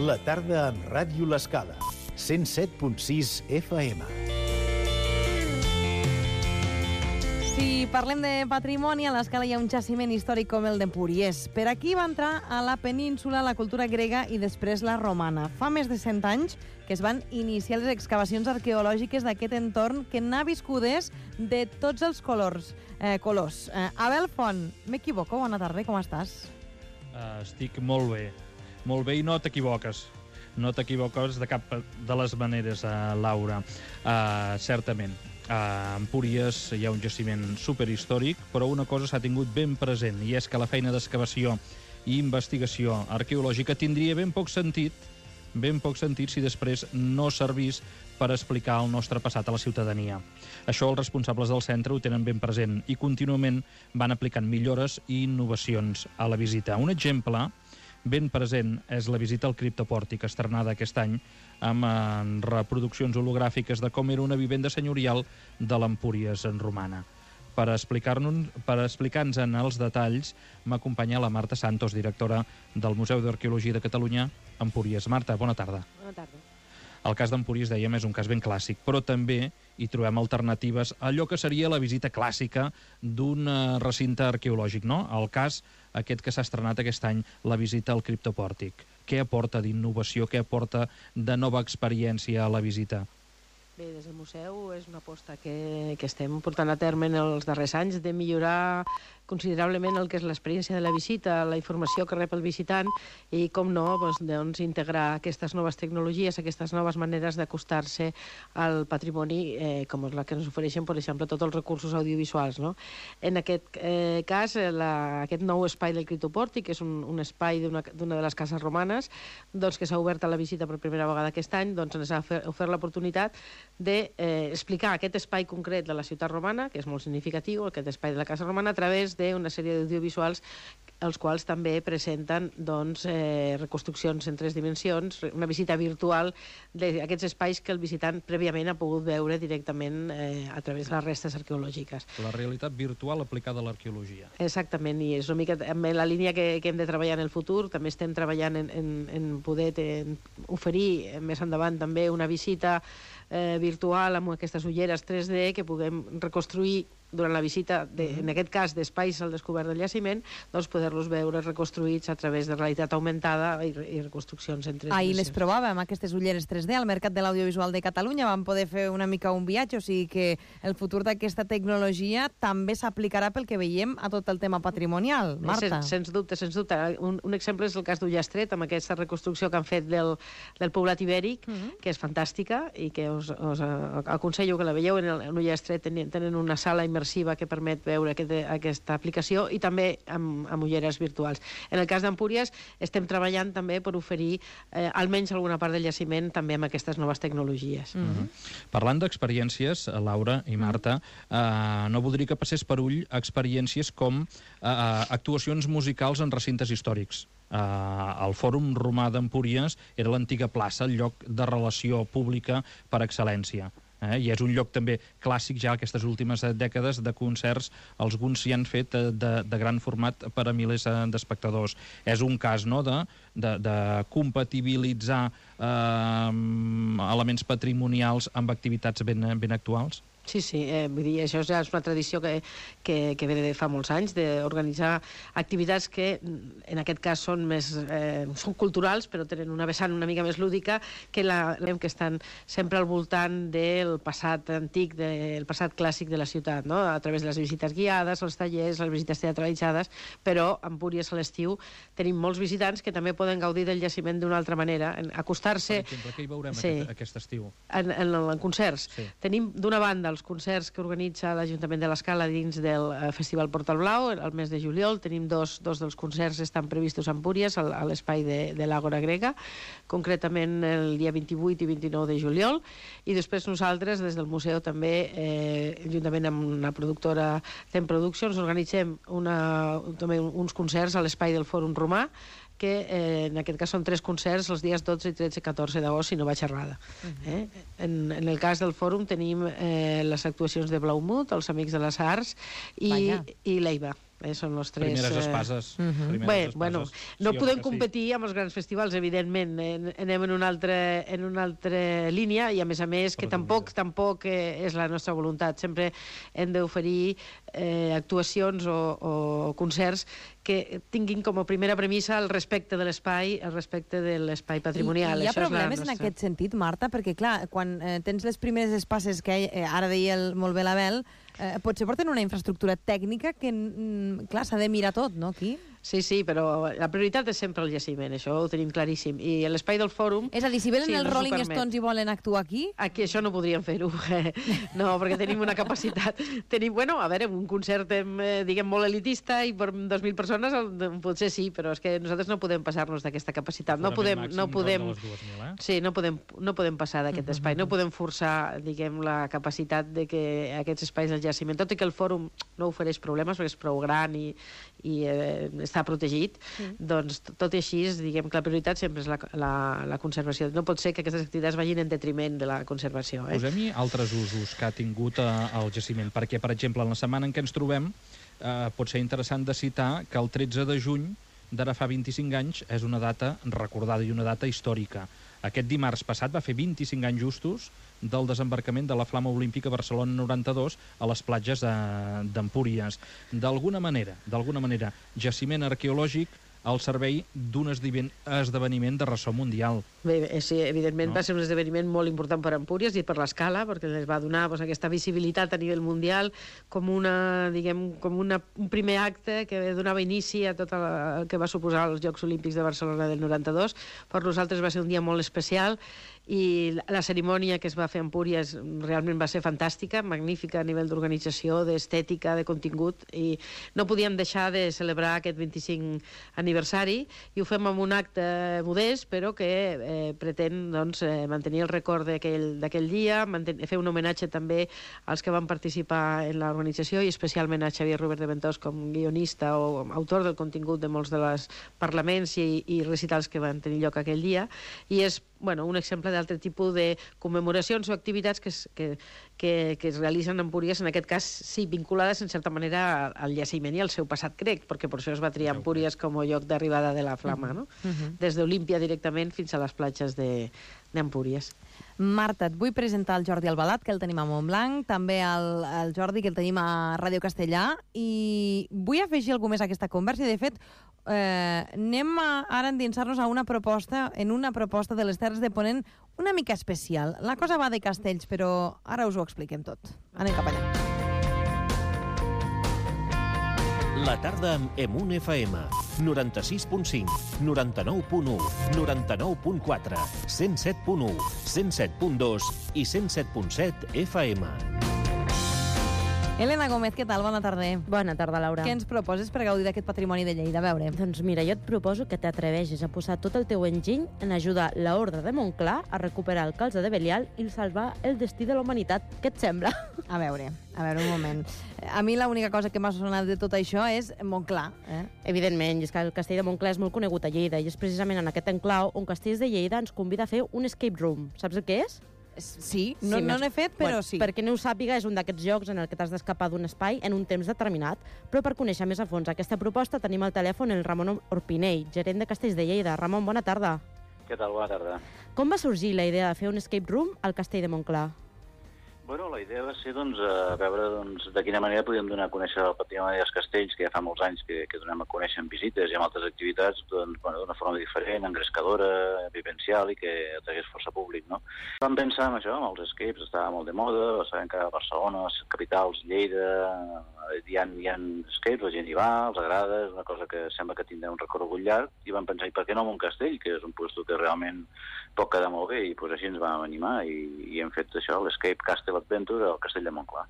La tarda amb Ràdio L'Escala. 107.6 FM. Si parlem de patrimoni, a l'Escala hi ha un jaciment històric com el d'Empúries. Per aquí va entrar a la península la cultura grega i després la romana. Fa més de 100 anys que es van iniciar les excavacions arqueològiques d'aquest entorn que n'ha viscudes de tots els colors. Abel Font, m'equivoco? Bona tarda, com estàs? Estic molt bé i no t'equivoques. No t'equivoques de cap de les maneres, Laura. Certament. A Empúries hi ha un jaciment superhistòric, però una cosa s'ha tingut ben present, i és que la feina d'excavació i investigació arqueològica tindria ben poc sentit si després no servís per explicar el nostre passat a la ciutadania. Això els responsables del centre ho tenen ben present i contínuament van aplicant millores i innovacions a la visita. Un exemple ben present és la visita al criptopòrtic, estrenada aquest any amb reproduccions hologràfiques de com era una vivenda senyorial de l'Empúries romana. Per explicar-nos en els detalls m'acompanya la Marta Santos, directora del Museu d'Arqueologia de Catalunya, Empúries. Marta, bona tarda. Bona tarda. El cas d'Empúries, dèiem, és un cas ben clàssic, però també hi trobem alternatives a allò que seria la visita clàssica d'un recinte arqueològic, no? El cas aquest que s'ha estrenat aquest any, la visita al criptopòrtic. Què aporta d'innovació, què aporta de nova experiència a la visita? Bé, des del museu és una aposta que estem portant a terme en els darrers anys de millorar considerablement el que és l'experiència de la visita, la informació que rep el visitant i, com no, doncs, integrar aquestes noves tecnologies, aquestes noves maneres d'acostar-se al patrimoni, com la que ens ofereixen, per exemple, tots els recursos audiovisuals. No? En aquest cas, aquest nou espai del criptopòrtic, que és un espai d'una de les cases romanes, doncs, que s'ha obert a la visita per primera vegada aquest any, doncs, ens ha ofert l'oportunitat d'explicar aquest espai concret de la ciutat romana, que és molt significatiu, aquest espai de la casa romana, a través d'una sèrie d'audiovisuals els quals també presenten reconstruccions en 3 dimensions, una visita virtual d'aquests espais que el visitant prèviament ha pogut veure directament a través de les restes arqueològiques. La realitat virtual aplicada a l'arqueologia. Exactament, i és una mica en la línia que hem de treballar en el futur. També estem treballant en poder oferir més endavant també una visita virtual amb aquestes ulleres 3D que puguem reconstruir durant la visita, en aquest cas d'espais al descobert del jaciment, doncs poder-los veure reconstruïts a través de realitat augmentada i reconstruccions en 3D. Ahir les provàvem, aquestes ulleres 3D, al Mercat de l'Audiovisual de Catalunya. Vam poder fer una mica un viatge, o sigui que el futur d'aquesta tecnologia també s'aplicarà pel que veiem a tot el tema patrimonial. Marta? Sens dubte. Un exemple és el cas d'Ullastret, amb aquesta reconstrucció que han fet del poblat ibèric, que és fantàstica i que us aconsello que la veieu. En Ullastret tenen una sala immersiva que permet veure aquesta aplicació i també amb ulleres virtuals. En el cas d'Empúries estem treballant també per oferir almenys alguna part del jaciment també amb aquestes noves tecnologies. Parlant d'experiències, Laura i Marta, no voldria que passés per ull experiències com actuacions musicals en recintes històrics. El Fòrum Romà d'Empúries era l'antiga plaça, el lloc de relació pública per excel·lència. I és un lloc també clàssic ja aquestes últimes dècades de concerts, alguns s'hi han fet de gran format per a milers d'espectadors. És un cas, no?, de compatibilitzar elements patrimonials amb activitats ben actuals? Sí, vull dir, això ja és una tradició que ve de fa molts anys, d'organitzar activitats que en aquest cas són culturals, però tenen una vessant una mica més lúdica, que estan sempre al voltant del passat antic, del passat clàssic de la ciutat, no? A través de les visites guiades, els tallers, les visites teatralitzades, però a Empúries a l'estiu tenim molts visitants que també poden gaudir del jaciment d'una altra manera, acostar-se... Per exemple, què hi veurem aquest estiu? En concerts. Tenim, d'una banda, els concerts que organitza l'Ajuntament de l'Escala dins del Festival Portal Blau al mes de juliol. Tenim dos dels concerts estan previstos a Empúries, a l'espai de l'Àgora Grega, concretament el dia 28 i 29 de juliol, i després nosaltres des del museu també, juntament amb una productora Tem Productions, organitzem també uns concerts a l'espai del Fòrum Romà, que en aquest cas són 3 concerts els dies 12, 13 i 14 d'agost, si no vaig errada. En el cas del fòrum tenim les actuacions de Blaumut, els Amics de les Arts i l'Eiva. Són els tres... Primeres espases. No podem competir amb els grans festivals, evidentment. Anem en una altra línia i, a més, que tampoc és la nostra voluntat. Sempre hem d'oferir actuacions o concerts que tinguin com a primera premissa el respecte de l'espai patrimonial. Hi ha problemes en aquest sentit, Marta? Perquè, clar, quan tens les primeres espases que ara deia molt bé l'Abel, potser porten una infraestructura tècnica que, clar, s'ha de mirar tot, no, aquí? Sí, però la prioritat és sempre el jaciment, això ho tenim claríssim. I l'espai del fòrum... És a dir, si venen els Rolling Stones i volen actuar aquí... Aquí això no podríem fer-ho. No, perquè tenim una capacitat... un concert, diguem, molt elitista i per 2.000 persones potser sí, però és que nosaltres no podem passar-nos d'aquesta capacitat. No podem passar d'aquest espai, no podem forçar, diguem, la capacitat de que aquests espais del jaciment, tot i que el fòrum no ofereix problemes perquè és prou gran i està protegit, doncs tot i així, diguem que la prioritat sempre és la conservació. No pot ser que aquestes activitats vagin en detriment de la conservació. Posem-hi altres usos que ha tingut el jaciment, perquè, per exemple, en la setmana en què ens trobem, pot ser interessant de citar que el 13 de juny d'ara fa 25 anys és una data recordada i una data històrica. Aquest dimarts passat va fer 25 anys justos del desembarcament de la Flama Olímpica Barcelona 92 a les platges d'Empúries. D'alguna manera, jaciment arqueològic al servei d'un esdeveniment de ressò mundial. Bé, sí, evidentment va ser un esdeveniment molt important per Empúries i per l'escala, perquè les va donar aquesta visibilitat a nivell mundial com un primer acte que donava inici a tot el que va suposar els Jocs Olímpics de Barcelona del 92. Per nosaltres va ser un dia molt especial i la cerimònia que es va fer a Empúries realment va ser fantàstica, magnífica a nivell d'organització, d'estètica, de contingut, i no podíem deixar de celebrar aquest 25 aniversari, i ho fem amb un acte modest, però que pretén mantenir el record d'aquell dia, fer un homenatge també als que van participar en l'organització, i especialment a Xavier Robert de Ventós com guionista o autor del contingut de molts dels parlaments i recitals que van tenir lloc aquell dia, i és un exemple d'altre tipus de commemoracions o activitats que es realitzen a Empúries, en aquest cas sí, vinculades en certa manera al jaciment i al seu passat grec, perquè per això es va triar Empúries com a lloc d'arribada de la flama, no? Des d'Olímpia directament fins a les platges d'Empúries. Marta, et vull presentar el Jordi Albalat, que el tenim a Montblanc, també el Jordi, que el tenim a Ràdio Castellà, i vull afegir alguna més a aquesta conversa, i de fet anem ara a endinsar-nos en una proposta de les Terres de Ponent una mica especial. La cosa va de castells, però ara us ho expliquem tot. Anem cap allà. La tarda amb Emun FM. 96.5, 99.1, 99.4, 107.1, 107.2 i 107.7 FM. Elena Gómez, què tal? Bona tarda. Bona tarda, Laura. Què ens proposes per gaudir d'aquest patrimoni de Lleida? A veure. Doncs mira, jo et proposo que t'atreveixis a posar tot el teu enginy en ajudar l'Orde de Montclar a recuperar el calze de Belial i salvar el destí de la humanitat. Què et sembla? A veure, un moment. A mi l'única cosa que m'ha sonat de tot això és Montclar. Evidentment, és que el castell de Montclar és molt conegut a Lleida i és precisament en aquest enclau on Castells de Lleida ens convida a fer un escape room. Saps el que és? Sí, no n'he fet, però sí. Per qui no ho sàpiga, és un d'aquests jocs en el que t'has d'escapar d'un espai en un temps determinat. Però per conèixer més a fons aquesta proposta tenim al telèfon el Ramon Orpinell, gerent de Castells de Lleida. Ramon, bona tarda. Què tal? Bona tarda. Com va sorgir la idea de fer un escape room al castell de Montclar? Bueno, la idea va ser veure de quina manera podíem donar a conèixer el patrimoni dels castells, que ja fa molts anys que donem a conèixer en visites i en altres activitats d'una forma diferent, engrescadora, vivencial i que atragués força públic, no? Vam pensar en això, en els escapes, estava molt de moda, sabem que a Barcelona, les capitals, Lleida, hi ha escapes, la gent hi va, els agrada, és una cosa que sembla que tindrà un recorregut llarg, i vam pensar, i per què no en un castell, que és un lloc que realment pot quedar molt bé, i així ens vam animar i hem fet això, l'Escape Castle Adventure al castell de Montclar.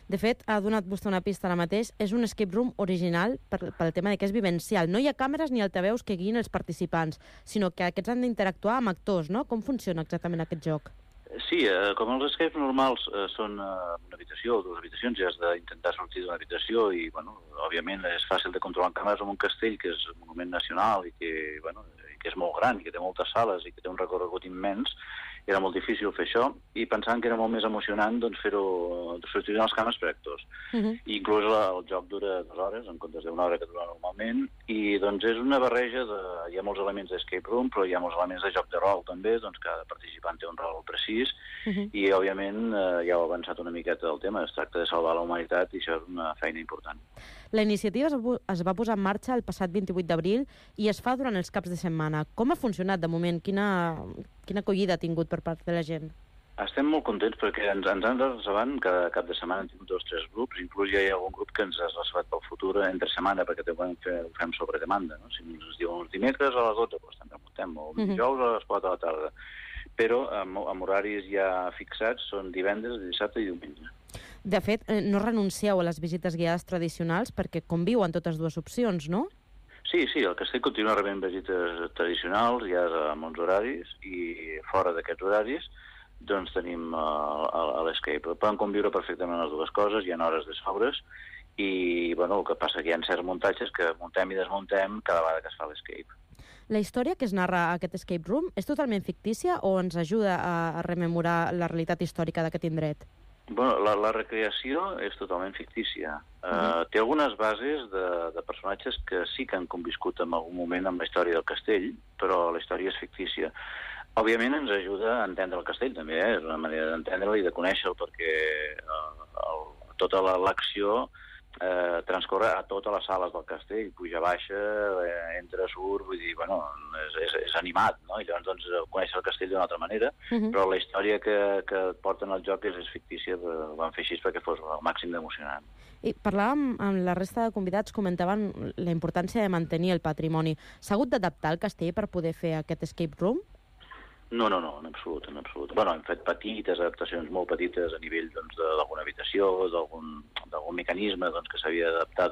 De fet, ha donat vostè una pista ara mateix, és un escape room original pel tema de que és vivencial. No hi ha càmeres ni altaveus que guiïn els participants, sinó que aquests han d'interactuar amb actors, no? Com funciona exactament aquest joc? Sí, com els escapes normals són una habitació o dues habitacions, ja has d'intentar sortir d'una habitació i, òbviament és fàcil de controlar en càmeres en un castell que és un monument nacional i que és molt gran i que té moltes sales i que té un recorregut immens era molt difícil fer això, i pensant que era molt més emocionant doncs, fer-ho, substituir els càmeres per actors. I inclús el joc dura 2 hores, en comptes d'1 hora que dura normalment, i doncs és una barreja hi ha molts elements d'escape room, però hi ha molts elements de joc de rol també, doncs cada participant té un rol precís, i òbviament ja heu avançat una miqueta del tema, es tracta de salvar la humanitat i això és una feina important. La iniciativa es va posar en marxa el passat 28 d'abril i es fa durant els caps de setmana. Com ha funcionat de moment? Quina acollida ha tingut per part de la gent? Estem molt contents perquè ens han reservat cada cap de setmana, hem tingut 2 o 3 grups, inclús ja hi ha algun grup que ens ha reservat pel futur entre setmana perquè ho fem sobre demanda. No? Si ens diuen els dimecres a les 12, doncs també muntem, o dijous a les 4 de la tarda. Però amb horaris ja fixats són divendres, dissabte i diumenge. De fet, no renuncieu a les visites guiades tradicionals perquè conviuen totes dues opcions, no? Sí, el castell continua rebent visites tradicionals, ja amb uns horaris, i fora d'aquests horaris doncs tenim l'escape. Poden conviure perfectament les dues coses, hi ha hores de sobres, i bueno, el que passa que hi ha certs muntatges que muntem i desmuntem cada vegada que es fa l'escape. La història que es narra a aquest escape room és totalment fictícia o ens ajuda a rememorar la realitat històrica d'aquest indret? Bueno, la recreació és totalment fictícia. Té algunes bases de personatges que sí que han conviscut en algun moment amb la història del castell, però la història és fictícia. Òbviament ens ajuda a entendre el castell, també, és una manera d'entendre-lo i de conèixer-lo, perquè tota l'acció transcorre a totes les sales del castell, puja, baixa, entra, surt, vull dir, bueno, és animat, no? I llavors doncs, conèixer el castell d'una altra manera, però la història que porten al joc és fictícia, ho van fer així perquè fos el màxim d'emocionant. I parlàvem amb la resta de convidats, comentaven la importància de mantenir el patrimoni. S'ha hagut d'adaptar el castell per poder fer aquest escape room? No, en absolut. Bueno, hem fet petites adaptacions, molt petites, a nivell d'alguna habitació, d'algun mecanisme que s'havia d'adaptar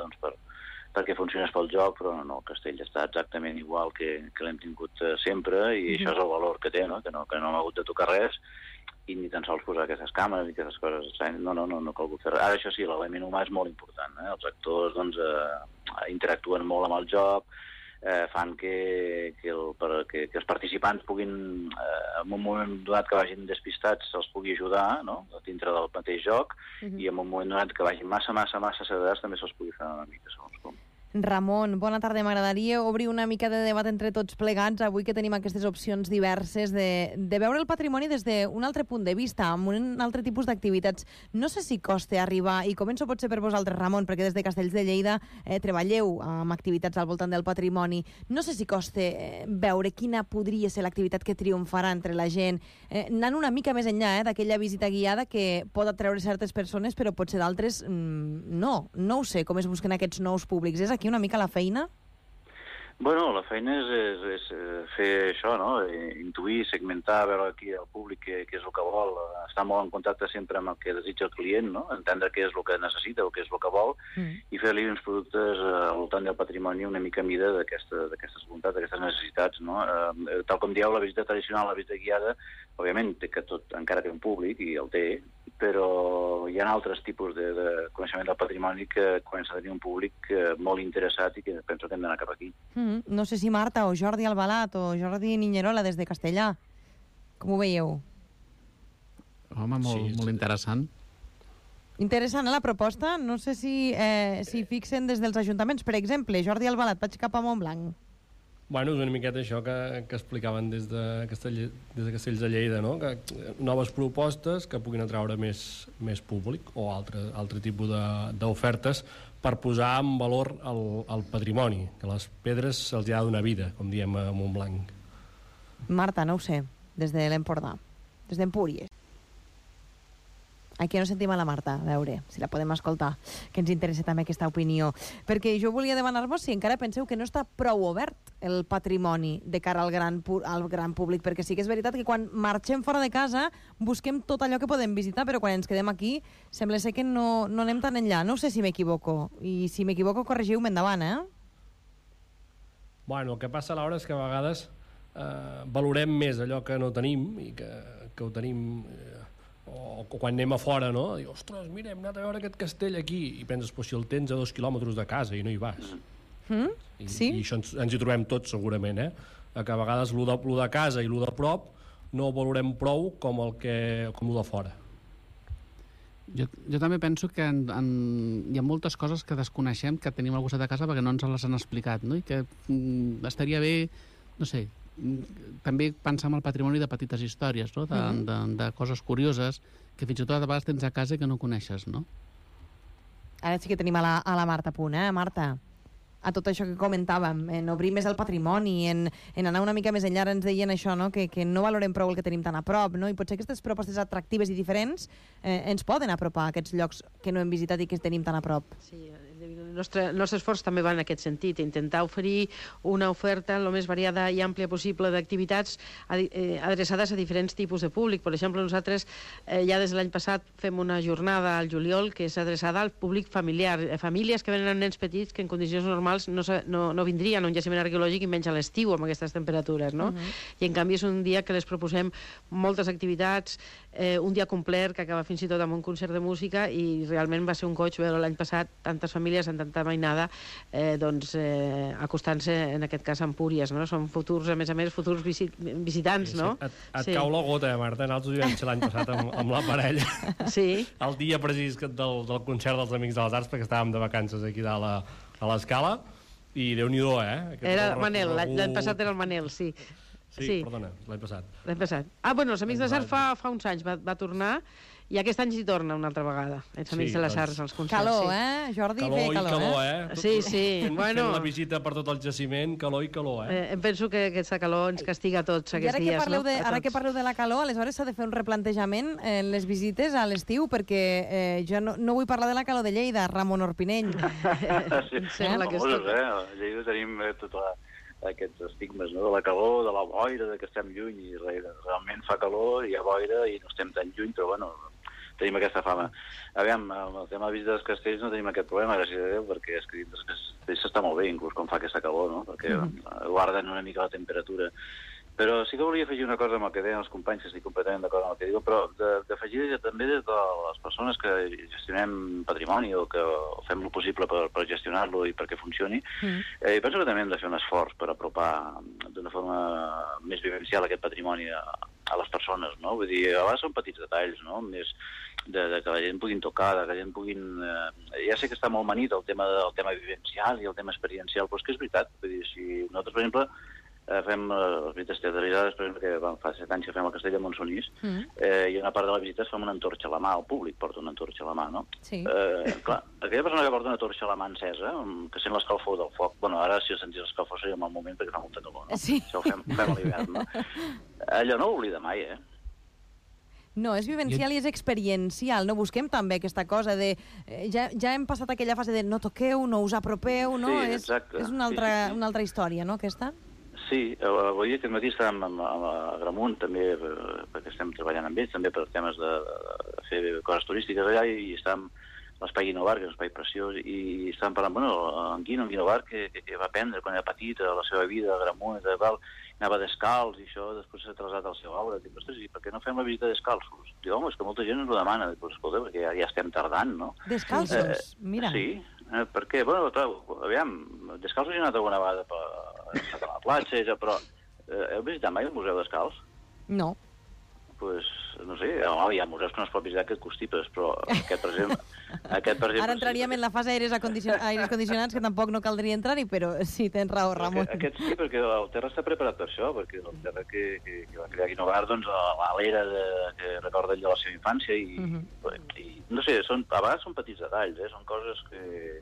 perquè funcionés pel joc, però no, el castell està exactament igual que l'hem tingut sempre, i això és el valor que té, no? Que no hem hagut de tocar res, i ni tan sols posar aquestes càmeres i aquestes coses. No ha calgut fer res. Ara, això sí, l'element humà és molt important. Els actors interactuen molt amb el joc, fan que els participants puguin, en un moment donat que vagin despistats, se'ls pugui ajudar, no?, dintre del mateix joc, i en un moment donat que vagin massa sedats també se'ls pugui fer una mica, segons com. Ramon, bona tarda. M'agradaria obrir una mica de debat entre tots plegats, avui que tenim aquestes opcions diverses de veure el patrimoni des d'un altre punt de vista, amb un altre tipus d'activitats. No sé si costa arribar, i començo potser per vosaltres, Ramon, perquè des de Castells de Lleida treballeu amb activitats al voltant del patrimoni. No sé si costa veure quina podria ser l'activitat que triomfarà entre la gent, anant una mica més enllà d'aquella visita guiada que pot atreure certes persones, però potser d'altres no. No ho sé com es busquen aquests nous públics. És aquí una mica la feina? Bueno, la feina és fer això, no? Intuir, segmentar, veure aquí el públic què és el que vol, estar molt en contacte sempre amb el que desitja el client, no? Entendre què és el que necessita o què és el que vol, i fer-li uns productes al voltant del patrimoni una mica a mida d'aquestes voluntats, d'aquestes necessitats, no? Tal com dieu, la visita tradicional, la visita guiada, òbviament que tot encara té un públic, i el té, però hi ha altres tipus de coneixement del patrimoni que comença a tenir un públic molt interessat i que penso que hem d'anar cap aquí. No sé si Marta o Jordi Albalat o Jordi Niñerola des de Castellà. Com ho veieu? Home, molt interessant. Interessant, la proposta? No sé si fixen des dels ajuntaments. Per exemple, Jordi Albalat, vaig cap a Montblanc. Bueno, és una miqueta això que explicaven des de Castells de Lleida, no? Que noves propostes que puguin atraure més públic o altre tipus d'ofertes per posar en valor el patrimoni, que les pedres se'ls ha de donar vida, com diem a Montblanc. Marta, no ho sé, des de l'Empordà, des d'Empúries. Aquí no sentim a la Marta, a veure si la podem escoltar, que ens interessa també aquesta opinió. Perquè jo volia demanar-vos si encara penseu que no està prou obert el patrimoni de cara al gran públic, perquè sí que és veritat que quan marxem fora de casa busquem tot allò que podem visitar, però quan ens quedem aquí sembla ser que no anem tan enllà. No sé si m'equivoco, i si m'equivoco corregiu-me endavant, Bueno, el que passa a l'hora és que a vegades valorem més allò que no tenim i que ho tenim... o quan anem a fora, no? Diu, ostres, mira, hem anat a veure aquest castell aquí, i penses, però si el tens a 2 quilòmetres de casa i no hi vas. Sí? I això ens hi trobem tots, segurament, que a vegades lo de casa i lo de prop no ho valorem prou com el de fora. Jo també penso que hi ha moltes coses que desconeixem, que tenim al costat de casa perquè no ens les han explicat, no? I que estaria bé, no sé, també pensar en el patrimoni de petites històries, no? De coses curioses que fins i tot a vegades tens a casa i que no coneixes, no? Ara sí que tenim a la Marta a punt, Marta? A tot això que comentàvem, en obrir més el patrimoni, en anar una mica més enllà, ens deien això, no? Que no valorem prou el que tenim tan a prop, no? I potser aquestes propostes atractives i diferents ens poden apropar a aquests llocs que no hem visitat i que tenim tan a prop. Sí, el nostre esforç també va en aquest sentit, intentar oferir una oferta el més variada i àmplia possible d'activitats adreçades a diferents tipus de públic. Per exemple, nosaltres ja des de l'any passat fem una jornada al juliol que és adreçada al públic familiar, famílies que venen amb nens petits que en condicions normals no vindrien a un jaciment arqueològic i menys a l'estiu amb aquestes temperatures, no? I en canvi és un dia que les proposem moltes activitats, un dia complet que acaba fins i tot amb un concert de música, i realment va ser un goig veure l'any passat tantes famílies amb tanta mainada acostant-se, en aquest cas, a Empúries, no? Són futurs, a més, futurs visitants, no? Et cau la gota, Marta. Nosaltres ho vam ser l'any passat amb la parella. Sí. El dia precís del concert dels Amics de les Arts, perquè estàvem de vacances aquí dalt a l'Escala, i Déu-n'hi-do, Era el Manel, l'any passat era el Manel, sí. Sí, perdona, l'any passat. L'any passat. Bueno, els Amics de les Arts fa uns anys va tornar, i aquest any s'hi torna una altra vegada, els Amics de les Arts, als concerts. Calor, Jordi? Calor i calor, Sí. Fent la visita per tot el jaciment, calor i calor, Em penso que aquesta calor ens castiga a tots aquests dies, no? Ara que parleu de la calor, aleshores s'ha de fer un replantejament en les visites a l'estiu, perquè jo no vull parlar de la calor de Lleida, Ramon Orpinell. Em sembla que és tot. A Lleida tenim aquests estigmes, no? De la calor, de la boira, de que estem lluny, i realment fa calor, hi ha boira i no estem tan lluny, però bueno, tenim aquesta fama. Aviam, amb el tema de visita dels castells no tenim aquest problema, gràcies a Déu, perquè és que dins dels castells s'està molt bé, inclús quan fa aquesta calor, no? Perquè guarden una mica la temperatura. Però sí que volia afegir una cosa amb el que deien els companys, que estic completament d'acord amb el que diuen, però d'afegir també de les persones que gestionem patrimoni o que fem el possible per gestionar-lo i perquè funcioni. I penso que també hem de fer un esforç per apropar d'una forma més vivencial aquest patrimoni a les persones, no? Vull dir, a vegades són petits detalls, no? Més de que la gent puguin tocar, que la gent puguin... Ja sé que està molt manit el tema vivencial i el tema experiencial, però és que és veritat. Vull dir, si nosaltres, per exemple, fem les visites teatralitzades, per exemple, que fa 7 anys que fem al Castell de Montsonís, i una part de la visita es fa una antorxa a la mà, el públic porta una antorxa a la mà, no? Sí. Clar, aquella persona que porta una antorxa a la mà encesa, que sent l'escalfor del foc, bueno, ara si sentís l'escalfor seria un mal moment perquè fa molta calor, no? Sí. Això ho fem a l'hivern, no? Allò no ho oblida mai, No, és vivencial i és experiencial, no? Busquem també aquesta cosa de... Ja hem passat aquella fase de no toqueu, no us apropeu, no? Sí, exacte. És una altra història, no, aquesta? Sí, avui aquest matí estàvem amb Agramunt també, perquè estem treballant amb ells, també per temes de fer coses turístiques allà, i estàvem a l'Espai Guinovar, que és un espai preciós, i estàvem parlant, bueno, en Guinovar, que va aprendre quan era petit a la seva vida, a Agramunt, i tal, anava descalç, i això després s'ha traslladat al seu aula. Dic, ostres, i per què no fem la visita descalços? Diu, home, és que molta gent ens ho demana. Dic, escolta, perquè ja estem tardant, no? Descalços? Mira. Sí, perquè, bueno, clar, aviam, descalços he anat alguna vegada a la platja, però heu visitat mai el Museu Descalç? No. Pues, no sé, hi ha museus que no es pot visitar que et constipes, però aquest, per exemple... Ara entraríem en la fase aires condicionats, que tampoc no caldria entrar-hi, però sí, tens raó, Ramon. Aquest sí, perquè el terra està preparat per això, perquè el terra que va crear Guinovar, doncs, a l'era que recorda ell de la seva infància, i no sé, a vegades són petits detalls, són coses que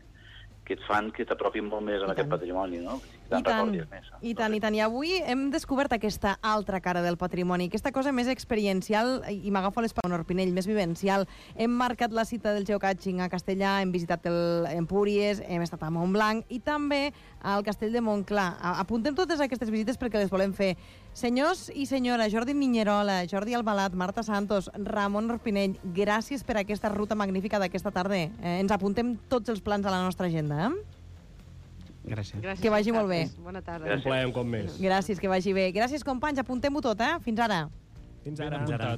et fan que t'apropin molt més en aquest patrimoni, no? I tant. I avui hem descobert aquesta altra cara del patrimoni, aquesta cosa més experiencial, i m'agafo les paraules, Orpinell, més vivencial. Hem marcat la cita del geocaching a Castellà, hem visitat Empúries, hem estat a Montblanc i també al Castell de Montclar. Apuntem totes aquestes visites perquè les volem fer. Senyors i senyora, Jordi Miñerola, Jordi Albalat, Marta Santos, Ramon Orpinell, gràcies per aquesta ruta magnífica d'aquesta tarda. Ens apuntem tots els plans a la nostra agenda, Gràcies. Que vagi molt bé. Bona tarda. Un plaer un cop més. Gràcies, que vagi bé. Gràcies, companys, apuntem-ho tot, Fins ara. Fins ara.